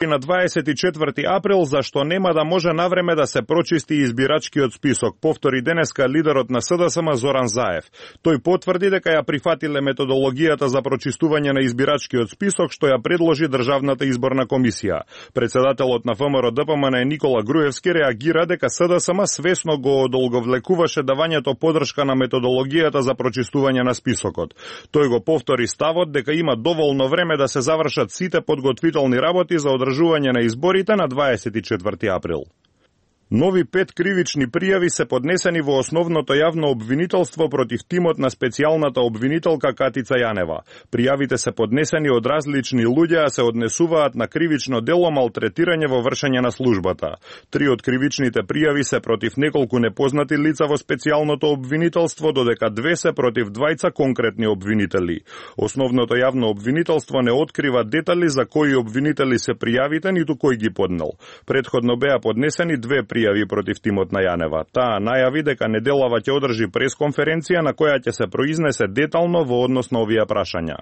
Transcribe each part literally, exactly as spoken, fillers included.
на дваесет и четврти април, зашто нема да може навреме да се прочисти избирачкиот список, повтори денеска лидерот на СДСМ Зоран Заев. Тој потврди дека ја прифатиле методологијата за прочистување на избирачкиот список што ја предложи Државната изборна комисија. Председателот на ВМРО Д П М Н Никола Груевски реагира дека СДСМ свесно го одолговлекуваше давањето подршка на методологијата за прочистување на списокот. Тој го повтори ставот дека има доволно време да се завршат сите подготвителни работи за одржување на изборите на дваесет и четврти април. Нови пет кривични пријави се поднесени во основното јавно обвинителство против тимот на специјалната обвинителка Катица Јанева. Пријавите се поднесени од различни луѓе, а се однесуваат на кривично дело малтретирање во вршење на службата. Три од кривичните пријави се против неколку непознати лица во специјалното обвинителство, додека две се против двајца конкретни обвинители. Основното јавно обвинителство не открива детали за кои обвинители се пријавите, ниту кој ги поднел. Претходно беа поднесени две пријави пријави против тимот на Јанева. Таа најави дека неделава ќе одржи пресконференција на која ќе се произнесе детално во однос на овие прашања.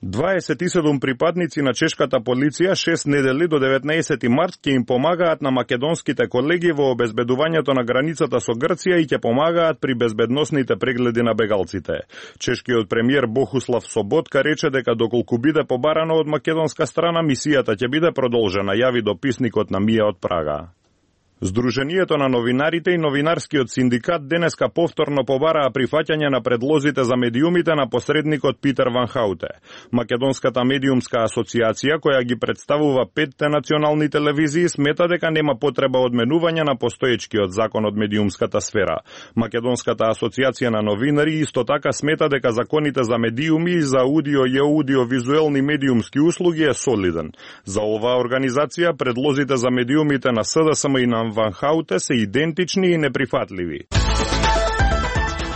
дваесет и седум припадници на чешката полиција шест недели до деветнаесети март ќе им помагаат на македонските колеги во обезбедувањето на границата со Грција и ќе помагаат при безбедносните прегледи на бегалците. Чешкиот премиер Бохуслав Соботка рече дека доколку биде побарано од македонска страна, мисијата ќе биде продолжена, јави дописникот на МИА од Прага. Сдруженијето на новинарите и новинарскиот синдикат денеска повторно побараа прифаќање на предлозите за медиумите на посредникот Питер Ван Хауте. Македонската медиумска асоциација, која ги представува петте национални телевизии, смета дека нема потреба од менување на постоечкиот закон од медиумската сфера. Македонската асоциација на новинари исто така смета дека законите за медиуми и за аудио и аудиовизуелни медиумски услуги е солиден. За оваа организација предлозите за медиумите на СДСМ и на Ван Хауте се идентични и неприфатливи.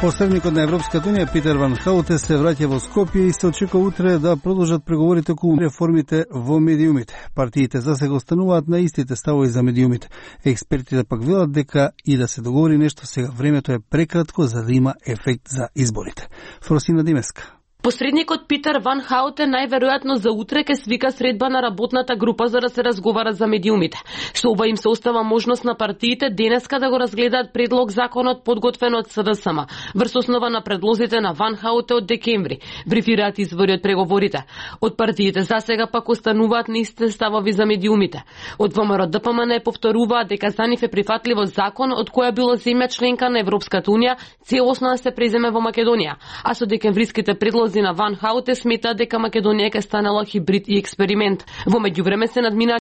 Посредникот на Европската унија Питер Ван Хауте се враќа во Скопје и се очекува утре да продолжат преговорите околу реформите во медиумите. Партиите засега остануваат на истите ставови за медиумите. Експертите пак велат дека и да се договори нешто сега, времето е прекратко за да има ефект за изборите. Фросина Димеска. Посредникот Питер Ван Хауте најверојатно за утре ќе свика средба на работната група за да се разговара за медиумите. Со ова им се остава можност на партиите денеска да го разгледаат предлог законот подготвен од СДСМ врз основа на предлозите на Ван Хауте од декември, брифираат извори од преговорите. Од партиите засега пак остануваат на истите ставови за медиумите. Од ВМРО Д П М Н повторуваат дека за нив е прифатливо закон од која било земја членка на Европската унија целосно да се преземе во Македонија, а со декемвриските предлози на Ван Хауте смета дека Македонија ќе станала хибрид и експеримент. Во меѓувреме се надмина